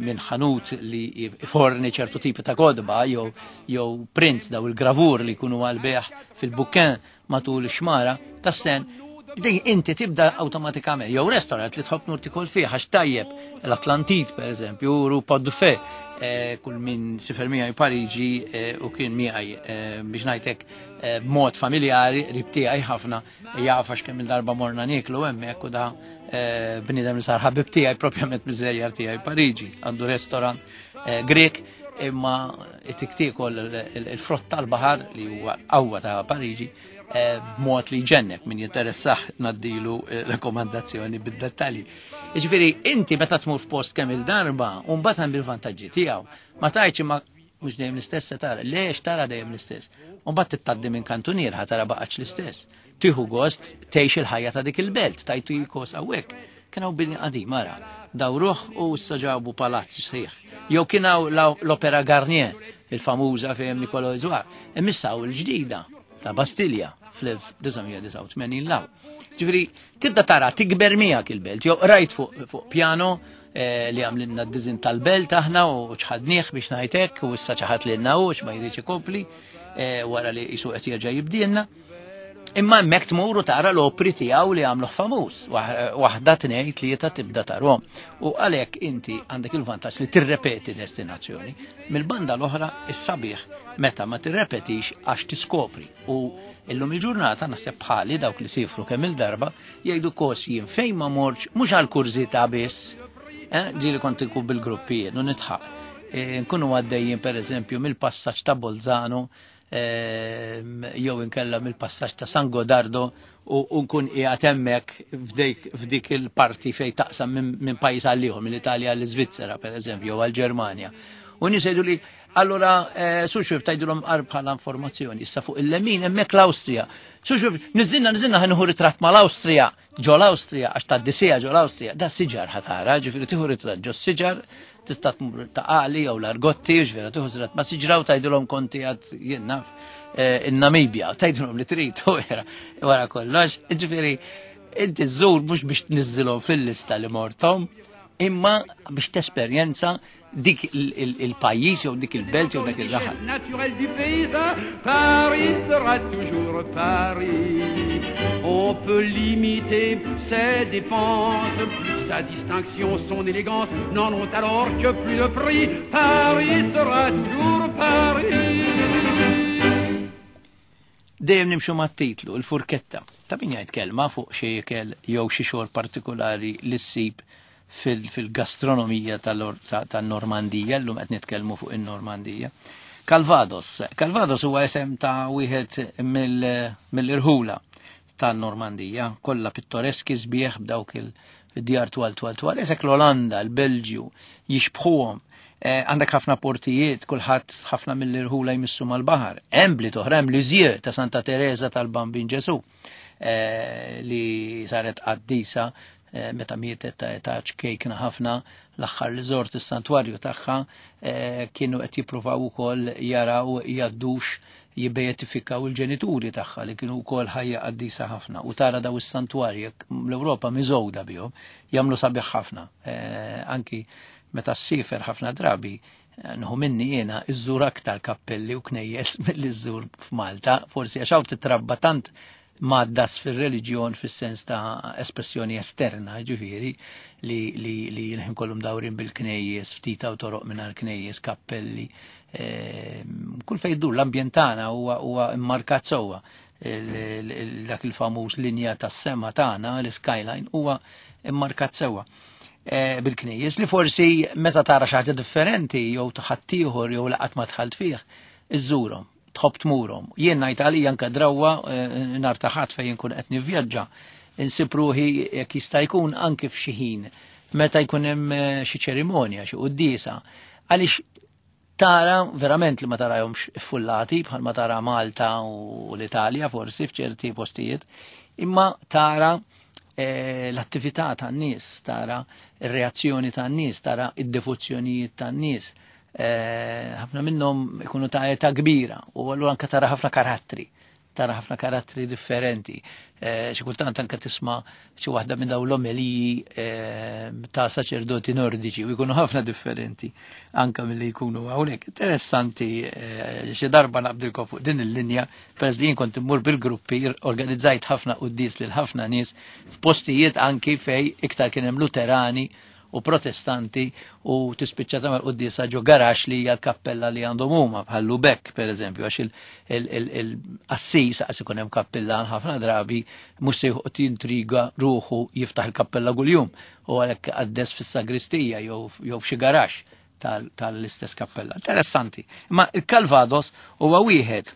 minn ħanut li forni ċertu tipi ta' kodba jew jew prints daw il-gravur li jkunu għal-beħ fil-bukken matul ix-xmara tas-sen. Din inti tibda awtomatikament, jew restaurant li tħobb nur tikol fih għax tajjeb, l-Atlantit per eżempju, Rue Pot du Feu, kull min sifer miegħi Pariġi u kien miegħi biex ngħidlek b'mod familjari, qrib tiegħi ħafna, jaf għax kemm il-darba morna nieklu hemmhekk u da bniedem li sar ħabib tiegħi propjament miż-żejjar tiegħi Pariġi, għandu restaurant Grek, imma itik tiekol il-frott tal-baħar li huwa l-qawwa ta' Pariġi b'mod li jġennek, min jinteressah naddilu rekomandazzjoni bid-dettalji. Jiġifieri inti meta tmur f'post kemm il-darba u mbagħad hemm il-vantaġġi tiegħu. Ma tgħidx imma mhux dejjem l-istess se tara, lex tara dejjem l-istess. U mbagħad tittaddi minn kantunier ħa tara baqgħetx l-istess. Tieħu gost tgħix il-ħajja ta' dik il-belt, tajtu jikos hawnhekk. Kien hawn bini qadim ara, dawruh u issa ġabu palazz sħiħ. Jew kien hawn l-Opera Garnier, il-famuża fejn Nicolas Isoire, imma issa hawn il-ġdida ta' Bastilja, fl-elf disa' mija disgħa u tmenin law. Ġifieri tibda tara tikber miegħek il-belt, jew rajt fuq, fuq piano, eh, li għamlilna d-dizin tal-belt aħna u ċħadnieh biex ngħidlek, u issa ċaħat lilna u ma jridx ikompli, eh, wara li jisu qed jerġa' jibdielna. Imma hemmhekk tmur u tara l-opri tiegħu li għamluh famuż, waħ-, waħda tnejn tlieta tibda tarhom. U għalhekk inti għandek il-vantaġġ li tirrepeti destinazzjoni. Mill-banda l-oħra is-sabiħ meta ma tirrepetix għax tiskopri. U illum il-ġurnata naħseb bħali dawk li sifru kemm il-darba jgħidu kos jien fejn ma morx mhux għal kurżità biss. Eh, ġieli kont inkun bil-gruppi jien u nitħaq. Eh, nkunu għaddejjin pereżempju mill-passaġġ ta' Bolzano, ehm, jew inkella mill-passaġġ ta' San Godardo u, u nkun qiegħed hemmhekk f'dik, f'dik il-parti fejn taqsam minn, minn pajjiż għal ieħor, mill-Italja għall-Iżvizzera pereżempju jew għall-Ġermanja. U nies jgħidu li allura, eh, Suxwib tgħidulhom qarb bħala informazzjoni, issa fuq il-lemin hemmhekk l-Awstrija. Suxwib, niżilna, niżilna ħa nieħu ritratt mal-Awstrija, ġo l-Awstrija, għax tgħaddi ġo l-Awstrija, da siġar ħa tara, ġifieri tieħu ritratt ġo siġar, tista' tmur ta' Qali jew l-Argotti, ġifieri tieħu ritratt ma' siġra u tgħidulhom konti għad jien naf, eh, in-Namibja, tgħidulhom li trid u wara, wara kollox, ġifieri inti żżur mhux biex tniżżilhom fil-lista li morthom, imma biex tesperjenza dik il-, il-, il-pajjiż jew dik il-belt jew dak il-raħal. Naturel du pays, ça, Paris sera toujours Paris. On peut limiter ses dépenses, sa distinction, son élégance n'en ont alors que plus de prix. Paris sera toujours Paris. Dejjem nimxu mat-titlu, il-furketta. Ta' min jgħid kelma fuq xi ikel jew xi xogħol partikolari li ssib fil-, fil-gastronomija tal-Or-, ta-, tan-Normandija, llum qed nitkellmu fuq in-Normandija. Calvados. Calvados huwa isem ta' wieħed mill-, mill-irħula tan-Normandija, kollha pittoreski sbieħ b'dawk il-djar twal twal twal. Isek l-Olanda, l-Belġju, jixbħuhom. Eh, għandek ħafna portijiet, kulħadd ħafna mill-irħula jmissu mal-baħar. Hemm bliet oħra, hemm Lisieux ta' Santa Teresa tal-Bambin Ġesu, eh, li saret qaddisa, eh, meta mietet ta' età ċkejkna ħafna, l-aħħar li żort is-santwarju tagħha, eh, kienu qed jippruvaw ukoll jaraw jgħaddux jibbeatifikaw il-ġenituri tagħha li kienu wkoll ħajja qaddisa ħafna. U tara daw is-santwarji l-Ewropa miżgħuda bihom, jagħmlu sabiħ ħafna. Eh, anki meta ssifer ħafna drabi, eh, nħu minni jiena iżżur aktar kappelli u knejjes milli żżur f'Malta, forsi għax hawn titrabba tant maddas fir-reliġjon fis-sens ta' espressjoni esterna, ġifieri, li, li, li l-ħin kollhom dawrin bil-knejjes, ftit hawn toroq mingħajr knejjes, kappelli. Ehm, kull fejn dur l-ambjent tagħna huwa, huwa immarkat sewwa. Il-, il-, il-, dak il-famuż linja tas-sema tagħna, l-skyline, huwa immarkat sewwa. Eh, bil-knejjes li forsi meta tara xi ħaġa differenti jew ħaddieħor jew laqat ma dħalt fih, iżżurhom, tħobb tmurhom. Jien ngħid għalija anke drawwa, eh, nhar ta' Ħadd fejn inkun qed nivvjaġġa, insib ruħi jekk jista' jkun anke f'xi ħin meta jkun hemm, eh, xi ċerimonja, xi quddiesa, għaliex tara verament li ma tarahomx iffullati bħal ma tara Malta u l-Italja forsi f'ċerti postijiet, imma tara, eh, l-attività tan-nies, tara r-reazzjoni tan-nies, tara id-devozzjonijiet tan-nies. Eh, ħafna minnhom ikunu ta' età kbira u allura anke tara ħafna karattri, tara ħafna karattri differenti. Eh, xi kultant anke tisma' xi waħda minn dawn l-omeliji, eh, ta' saċerdoti nordiċi u jkunu ħafna differenti anke milli jkunu hawnhekk. Interessanti, eh, xi darba naqbdilkom fuq din il-linja, peress li jien kont immur bil-gruppi, organizzajt ħafna quddies lil ħafna nies f'postijiet anki fej iktar kien hemm Luterani u Protestanti u tispiċċa tagħmel quddiesa ġo garax li hija l-kappella li għandhom huma bħal Lübeck pereżempju, għax il-, il-, il-, il-qassis għax ikun hemm kappella ħafna drabi mhux se joqgħod jintriga ruħu jiftaħ il-kappella kuljum u għalhekk qaddes fis-sagristija jew, jew f'xi garax tal-, tal-istess kappella. Interessanti. Imma il-Calvados huwa wieħed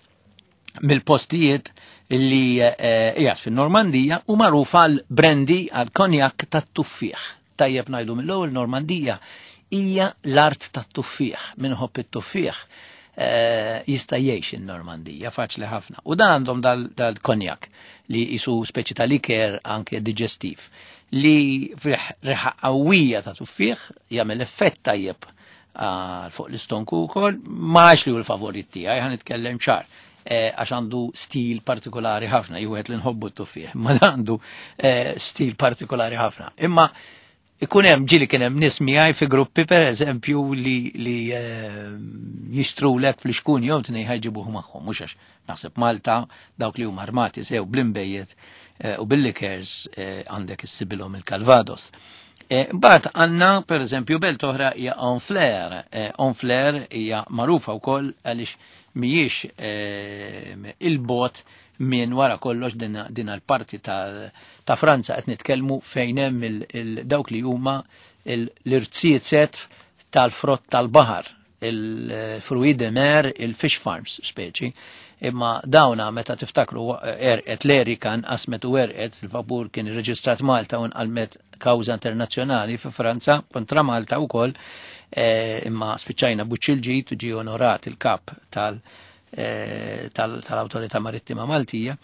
mill-postijiet li, eh, qiegħed fin-Normandija u magħruf għal brandy, għal konjak tat-tuffieħ. Tajjeb ngħidu mill-ewwel, Normandija hija l-art tat-tuffieħ. Min iħobb it-tuffieħ, eh, jista' jgħix in-Normandija, faċli ħafna. U dan għandhom dal-, dal-konjak li jisu speċi ta' liker anke digestiv li fih riħa qawwija ta' tuffieħ jagħmel effett tajjeb għal fuq l-istonku wkoll, ma għax li hu l-favorit tiegħi, ħa nitkellem ċar. għax għandu stil partikolari ħafna, jwieħed li nħobbu t-tuffieħ, ma għandu stil partikolari ħafna. Imma ikun hemm ġieli kien hemm nies miegħi fi gruppi pereżempju li li jixtrulek fl-ixkun jew tnejn ħajġibuh magħhom, mhux għax naħseb Malta dawk li huma armati sew bl-imbejjed u bil-likers għandek issibilhom il-Calvados. Mbagħad għandna pereżempju belt oħra hija Honfleur. Honfleur hija magħrufa wkoll għaliex mhijiex il-bot minn wara kollox din l-parti ta' Franza qed nitkellmu fejn hemm dawk li huma l-irziezet tal-frott tal-baħar, il-fruits de mer, il-fish farms speċi. Imma dawna meta tiftakru erqet l-Erika nqasmet u erqet, il-vapur kien irreġistrat Malta u nqalmet kawża internazzjonali fi Franza kontra Malta wkoll, imma spiċċajna buċċ il-ġid u ġie onorat il-kap tal- tal-Awtorità Marittima Maltija.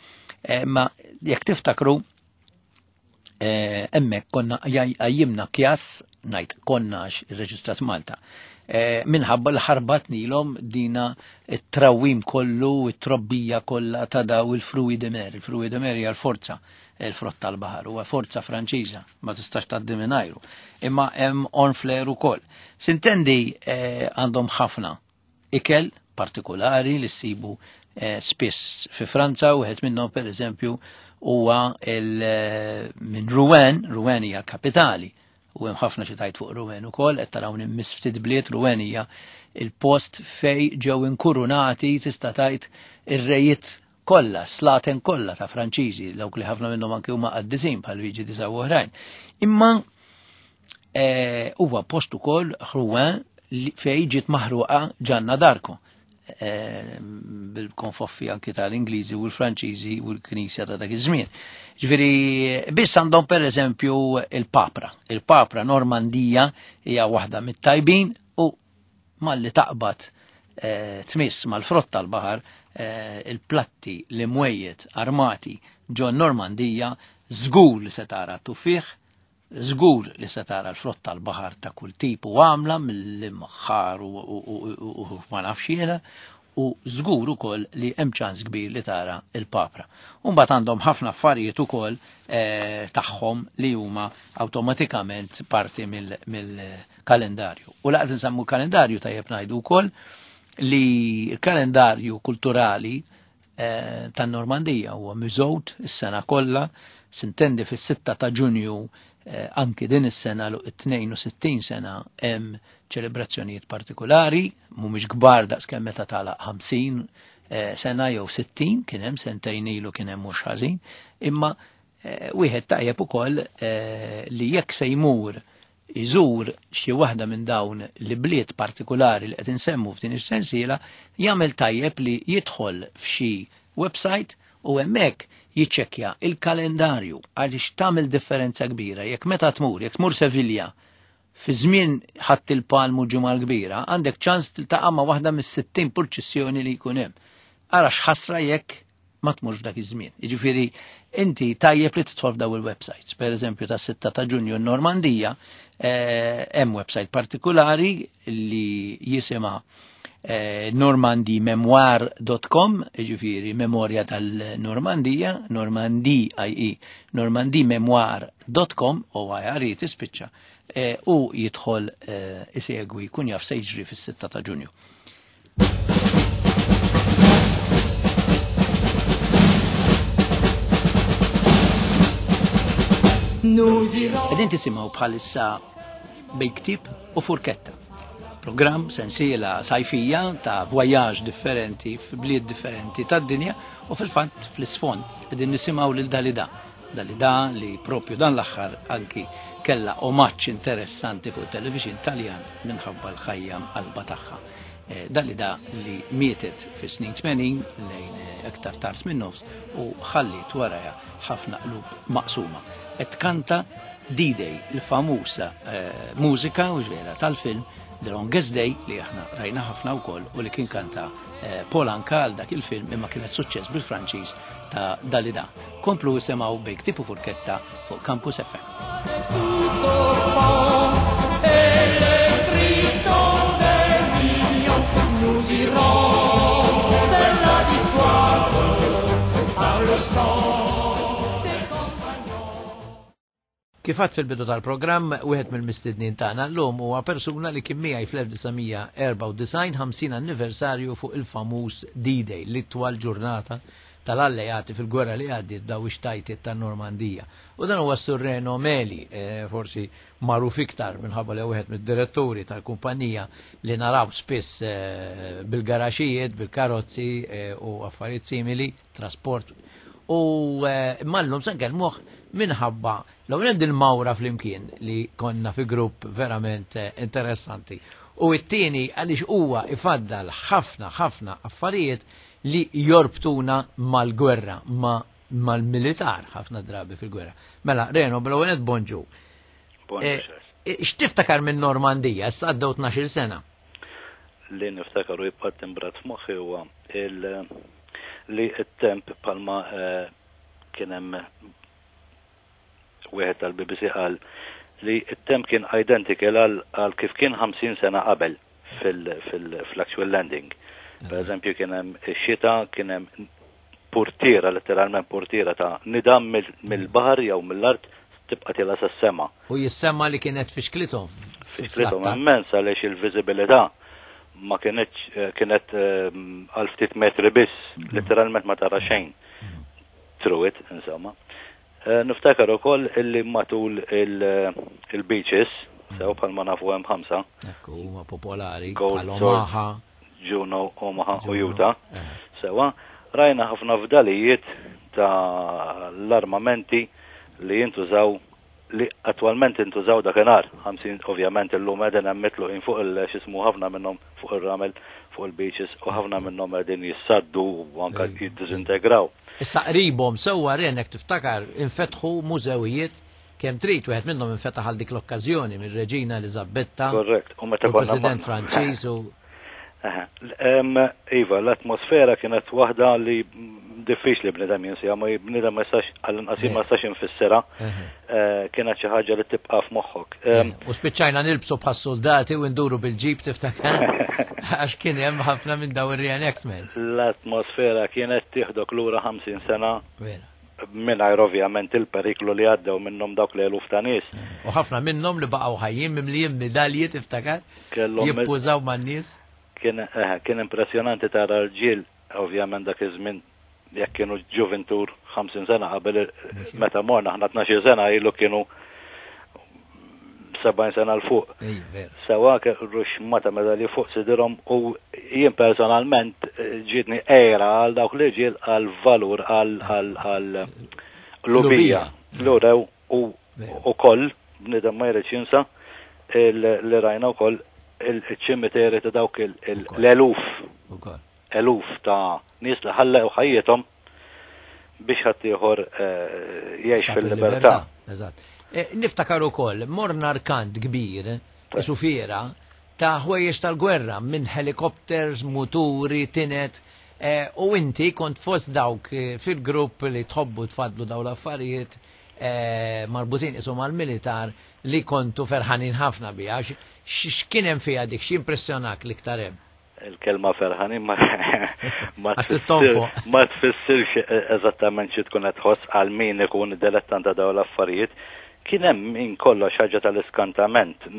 Ma jekk tiftakru hemmhekk konna għajjimna kjas, ngħid konna għax irreġistrat Malta, minħabba l-ħarbat nilhom dina it-trawim kollu, it-trobbija kollha ta' daw il-fruits de mer. Il-fruits de mer hija l-forza, il-frott tal-baħar, huwa forza Franċiża, ma tistax tgħaddi mingħajru. Imma hemm Honfleur ukoll. Sintendi għandhom ħafna ikel partikolari li ssibu spiss fi Franza, u wieħed minnhom pereżempju huwa minn Rouen. Rouen hija l-kapitali, u hemm ħafna xi tajt fuq Rouen ukoll, qed taraw immiss ftit bliet. Rouen hija il-post fej ġew inkurunati tista' tgħid ir-rejiet kollha, slaten kollha ta' Franċiżi, dawk li ħafna minnhom anke huma qaddisin bħal Luigi disa u oħrajn. Imma huwa post ukoll Rouen fej ġiet maħruqa Ġanna Darko, bil-konfoffi anki tal-Ingliżi u l-Franċiżi u l-Knisja ta' dak iż-żmien. Ġifieri biss għandhom pereżempju il-papra. Il-papra Normandija hija waħda mit-tajbin u malli taqbad tmiss mal-frott tal-baħar, il-platti li mwejjed armati ġo Normandija żgur li se tara t-tuffieħ, żgur li se tara l-frott tal-baħar ta' kull tip u għamla mill-imħar u ma nafx jiena, u żgur ukoll li hemm ċans kbir li tara il-papra. U mbagħad għandhom ħafna affarijiet ukoll tagħhom li huma awtomatikament parti mill-kalendarju. U laqt insemmu kalendarju tajjeb ngħidu wkoll li l-kalendarju kulturali tan-Normandija huwa miżgħud is-sena kollha, sintendi fis-sitta ta' Ġunju anki din is-sena l tnejn u sittin sena hemm ċelebrazzjonijiet partikolari, mhumiex kbar daqskemm meta tagħlaq ħamsin sena jew sittin, kien hemm sentejn ilu kien hemm mhux ħażin, imma wieħed tajjeb ukoll li jekk se jmur iżur xi waħda minn dawn l-bliet partikolari li qed insemmu f'din is-sensiela, jagħmel tajjeb li jidħol f'xi website u hemmhekk jiċċekkja il-kalendarju, għaliex tagħmel differenza kbira. Jekk meta tmur, jekk tmur Sevilja fi żmien ħadd il-Palmu ġimgħa l-kbira, għandek ċans tiltaqa' ma' waħda mis-sittin purċissjoni li jkun hemm. Ara x'ħasra jekk ma tmurx f'dak iż-żmien. Jiġifieri inti tajjeb li tidħol f'daw il-websites. Pereżempju tas-sitta ta' Ġunju n-Normandija hemm website partikolari li jisimha normandy memoir dot com, jiġifieri memorja tal-Normandija, Normandi I E, normandy memoir dot com, o I R E tispiċċa, u jidħol isegwi jkun jaf se jiġri fis-sitta ta' Ġunju. Qegħdin tisimgħu bħalissa bejn ktieb u furketta. Programm sensiela sajfija ta' voyage differenti f'bliet differenti tad-dinja, u fil-fatt fl-isfond qegħdin nisimgħu lil Dalida. Dalida li propju dan l-aħħar anki kellha omaġġ interessanti fuq television Taljan minħabba l-ħajja mqalba tagħha. Dalida li mietet fis-snin tmenin lejn aktar tard minn nofs u ħalliet warajha ħafna qlub maqsuma. Qed tkanta D-Day, il-famusa mużika u ġvera tal-film The Longest Day li aħna rajna ħafna wkoll u li kien kanta Paul Anka għal dak il-film, imma kienet suċċess bil-Franċiż ta' Dalida. Komplu isimgħu bejn ktieb u furketta fuq Campus F M. Nous irons vers la victoire. Le sang des compagnons. Kif għedt fil-bidu tal-programm, wieħed mill-mistednin tagħna llum huwa persuna li kien miegħi fl-elf disa' mija erbgħa u disgħin, ħamsin anniversarju fuq il-famuż D-Day, l-itwal ġurnata tal-alleati fil-gwerra li għaddiet, daw ix-xtajtiet tan-Normandija. U dan huwa Sur Reno Meli, eh, forsi magħruf iktar minħabba li wieħed mid-diretturi tal-kumpanija li naraw spiss eh, bil-garaxijiet, bil-karozzi eh, u affarijiet simili, trasport. U mallum se nkellmuh minħabba l-ewwel il-mawra flimkien li konna fi grupp verament interessanti. U it-tieni għaliex huwa ifaddal ħafna ħafna affarijiet li jorbtuna mal-gwerra, ma mal-militar ħafna drabi fil-gwerra. Mela, Reno, bl-ewwel bonġu. Eh, x'tiftakar minn Normandija? Issa għaddew tnax-il sena. Li niftakar u jibqa' timbrat f'moħħi huwa li t-temp palma eh, kien hemm wieħed tal-B B C qal li t-temp kien identical għal kif kien ħamsin sena qabel fil-actual landing. Per eżempju, kien hemm xita, kien hemm purtiera, letteralment purtiera ta' nida mill-baħar jew mill-art tibqa' tiela' sas-sema. U jissemma li kienet fixklithom. Fixklithom immens għaliex il-viżibilità ma kienetx eh, kienet eh, għal ftit metri biss, mm. letteralment ma tara xejn. Through it, insomma. Eh, niftakar ukoll illi matul il-beaches, sew bħalma nafu hemm ħamsa. Ekku, huma popolari, bħal Omaha. Juno, Omaha u Utah. Sewa, rajna ħafna fdalijiet ta' l-armamenti li jintużaw, li attualment intużaw dakinhar. ħamsin, ovvjament illum qegħdin hemm mitluqin fuq il-xismu, ħafna minnhom fuq ir-ramel, fuq il-beaches, u ħafna minnhom qegħdin jissaddu u anke jiddisintegraw. Issa qribhom sewwa, Renek, tiftakar infetħu mużewijiet kemm trid, wieħed minnhom infetaħ għal dik l-okkażjoni mir-Reġina Eliżabetta. Korrekt. U meta President Franċiż u Iva, l-atmosfera kienet waħda li diffiċli bnidem jinsija, ma bnidem ma jistax, għall-inqas ma jistax infissira, eh, kienet xi ħaġa li tibqa' f'moħħok. U spiċċajna nilbsu bħas soldati u nduru bil-ġib, tiftakar? Għax kien hemm ħafna minn daw ir-reenactments. L-atmosfera kienet tieħdok lura ħamsin sena. Mingħajr ovvjament il-periklu li għaddew minnhom dawk li eluf ta' nies. U ħafna minnhom li baqgħu ħajjin mimlijin medalji, tiftakar? Jippużaw man-nies. Kien eh, kien impressjonanti tara rġiel, ovvjament dak iż-żmien jekk kienu ġuventur ħamsin sena qabel, meta morna aħna tnax-il sena ilu, kienu sebgħin sena 'l fuq. Sewa ruxmata medalji fuq sidirhom u jien personalment eh, ġietni għira għal dawk li ġiel, għal valur, għal lubija. L-urew u koll, bnidem ma jridx jinsa, li rajna wkoll il-ċimiteri ta' dawk l-eluf. Eluf ta' nies li ħallew ħajjithom biex ħaddieħor eh, jgħix fil-libertà. Eżatt. Eh, niftakar ukoll morna rkant kbir, isu fiera, ta' ħwejjeġ tal-gwerra minn helikopters, muturi, tinet, eh, u inti kont fost dawk fil-grupp li tħobbu tfadlu daw l-affarijiet marbutin isu mal-militar li kontu ferħanin ħafna biha. X'kien hemm fiha dik, x'impressjonak l-iktar hemm? Il-kelma ferħanin ma ma ma tfissirx eżattament xi tkun qed tħoss għal min ikun dilettant ta' dawn l-affarijiet. Kien hemm min kollox ħaġa tal-iskantament.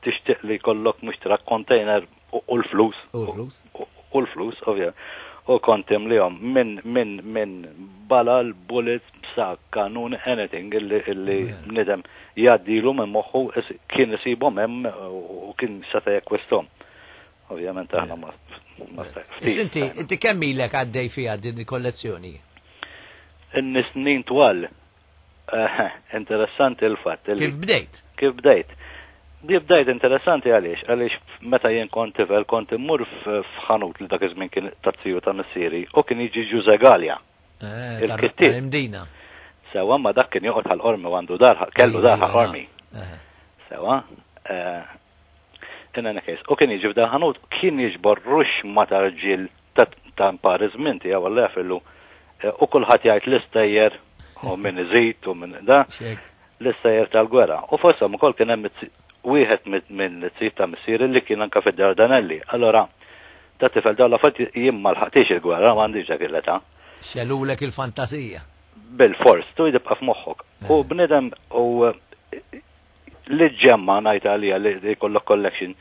Tixtieq li jkollok mhux truck, container u l-flus. U l-flus. U l-flus, ovvja. U kont imlihom minn min min balal, bullets, sa kanun, anything illi illi bniedem jgħaddilu minn moħħu kien isibhom hemm u kien seta' jakkwisthom. Ovvjament aħna ma Inti inti kemm ilek għaddej fiha din il-kollezzjoni? In-snin twal. Eh, interessanti il-fatt. Kif bdejt? Kif bdejt? Kif bdejt interessanti għaliex, għaliex meta jien kont tifel kont immur f'ħanut li dak iż-żmien kien taz-ziju ta' missieri u kien jiġi Ġuże Galea. Eh, Il-kittieb. Imdina. Sewa, ma dak kien joqgħod Ħal Qormi u għandu dar, kellu dar Ħal Qormi. Sewa, eh, in any case, u kien jiġi f'dan ħanut, kien jiġbor ruxxmata ta' rġiel ta' mpari żmien tiegħu għalla jafillu, u kulħadd jgħid l-istejjer u minn iżid u minn da, l-istejjer tal-gwerra. U fosthom ukoll kien hemm wieħed minn it ta' missieri li kien anka fid-Dardanelli. Allora, ta' tifel dawn l-affarijiet jien ma lħaqtix il-gwerra, ma għandix dak il-età. Xelulek il-fantasija. Bil-fors, tu jibqa' f'moħħok. U bniedem u li ġemma ngħid għalija li jkollok collection,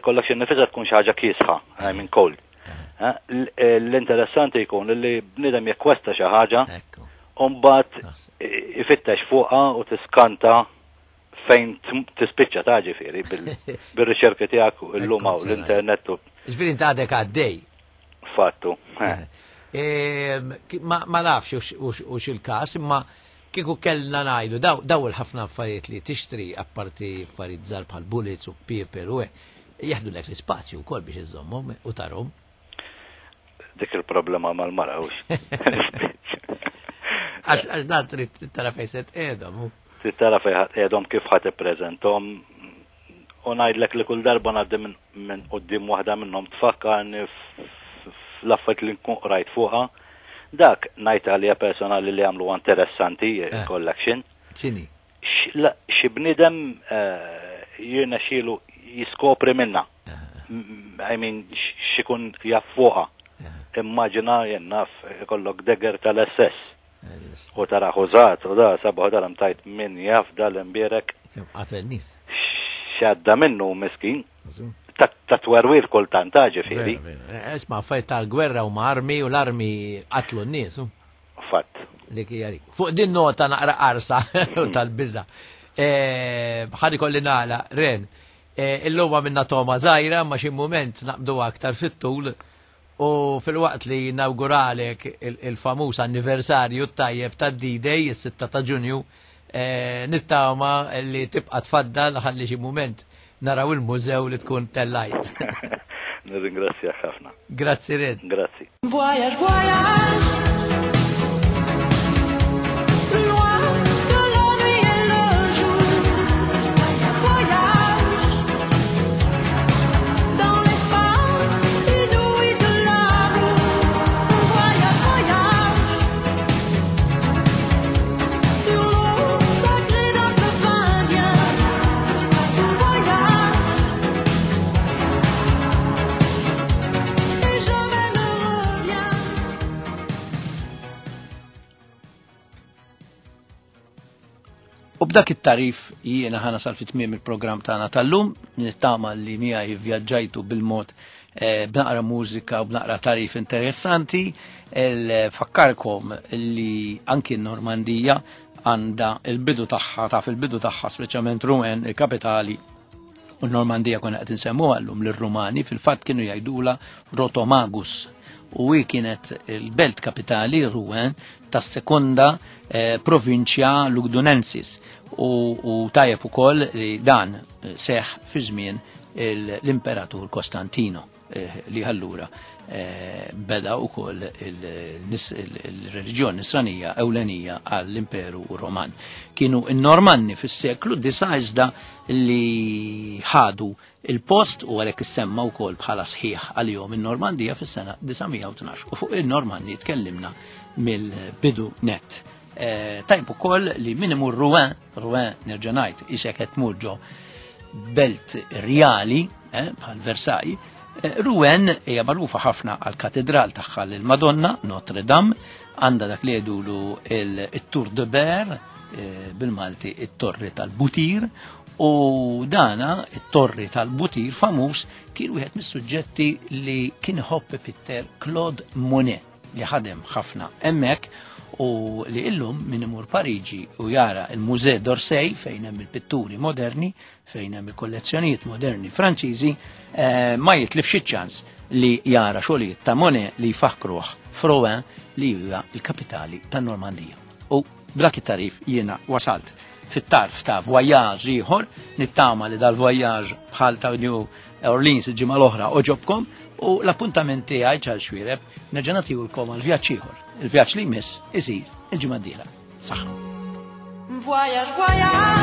collection nifisha tkun xi ħaġa kiesħa, I mean cold. L-interessanti jkun li bniedem jekkwesta xi ħaġa, u mbagħad ifittex fuqha u tiskanta fejn tispiċċa ta' ġifieri bil-riċerki tiegħek illum hawn l-internet. Ġifieri inti għadek għaddej. Fattu. Ma nafx hux il-każ, imma kieku kellna ngħidu daw il-ħafna affarijiet li tixtri apparti affarijiet żgħar bħal bullets u paper u hekk, jaħdulek l-ispazju wkoll biex iżommhom u tarhom. Dik il-problema mal-mara hux. Għax dan trid tara fejn se tqiegħdhom. Trid tara fejn qiegħdhom kif ħadd ippreżenthom u ngħidlek li kull darba ngħaddi minn quddiem waħda minnhom tfakkarni fl-affarijiet li nkun qrajt fuqha. Dak ngħid għalija personali li għamlu interessanti collection. X'inhi? Xi bniedem jirnexxielu jiskopri minna. I mean x'ikun jaf fuqha. Immaġina jien naf ikollok dagger tal-S S. U tara ħużat u da sabaħ dalam tajt min jaf dal-imbierek. Kemm qatel nies. X'għadda minnu miskin. Ta' twerwir kultant ta' ġifieri. Isma' affarijiet tal-gwerra u ma' armi u l-armi qatlu n-nies. Fatt. Dik hija dik. Fuq din nota naqra qarsa u tal-biża'. Ħa ikolli nagħlaq, Ren. Illum għamilna toma żgħira ma xi mument naqbdu aktar fit-tul u fil-waqt li nawguralek il-famuż anniversarju tajjeb tad-D-Day, is-sitta ta' Ġunju, nittama li tibqa' tfaddal ħalli xi mument naraw il-mużew li tkun tellajt. Nirringrazzjak ħafna. Grazzi Red. Grazzi. Voyage, voyage. U b'dak it-tarif jiena ħa nasal fi tmiem il-programm tagħna tal-lum, nittama li miegħi vvjaġġajtu bil-mod b'naqra mużika u b'naqra tarif interessanti. Fakkarkom li anki n-Normandija għandha il-bidu tagħha, taf il-bidu tagħha speċjalment Rouen, il-kapitali, u n-Normandija konna qed insemmuha llum lir-Rumani, fil-fatt kienu jgħidulha Rotomagus, u hi kienet il-belt kapitali Rouen tas-sekonda eh, provinċja Lugdunensis, u, u tajjeb ukoll li dan seħ fi żmien l-Imperatur Kostantino, eh, li allura eh, beda ukoll il-reliġjon nisranija ewlenija għall-Imperu Roman. Kienu n-Normanni fis-seklu disa' iżda li ħadu il-post u għalhekk issemma wkoll bħala sħiħ għalihom in-Normandija fis-sena disa' mija u tnax. U fuq in-Normanni tkellimna mill-bidu net. E, tajb ukoll li min imur Rouen, Rouen nerġa' ngħid isek qed tmur ġo belt rjali, eh, bħal Versailles. Eh, Rouen hija magħrufa ħafna għal katedral tagħha lil Madonna Notre Dame, għandha dak li jgħidulu il-Tour de Berre, eh, bil-Malti it-Torri tal-Butir, u dana it-Torri tal-Butir famuż kien wieħed mis-suġġetti li kien iħobb Peter Claude Monet, li ħadem ħafna hemmhekk u li illum min imur Pariġi u jara il-Musée d'Orsay fejn hemm il-pitturi moderni, fejn hemm il-kollezzjonijiet moderni Franċiżi, eh, ma jitlifx iċ-ċans li jara xogħlijiet ta' Monet li jfakkruh f'Rouen li huwa il-kapitali tan-Normandija. U b'dak it-tarif jiena wasalt fit-tarf ta' voyage ieħor, nittama li dal-voyage bħal ta' New Orleans il-ġimgħa l-oħra oġobkom, u l-appuntament tiegħi Charles Xuereb nerġa' nagħtihulkom għal vjaġġ ieħor. Il-vjaġġ li jmiss isir il-ġimgħa d-dieħla. Saħħa. Voyage, voyage.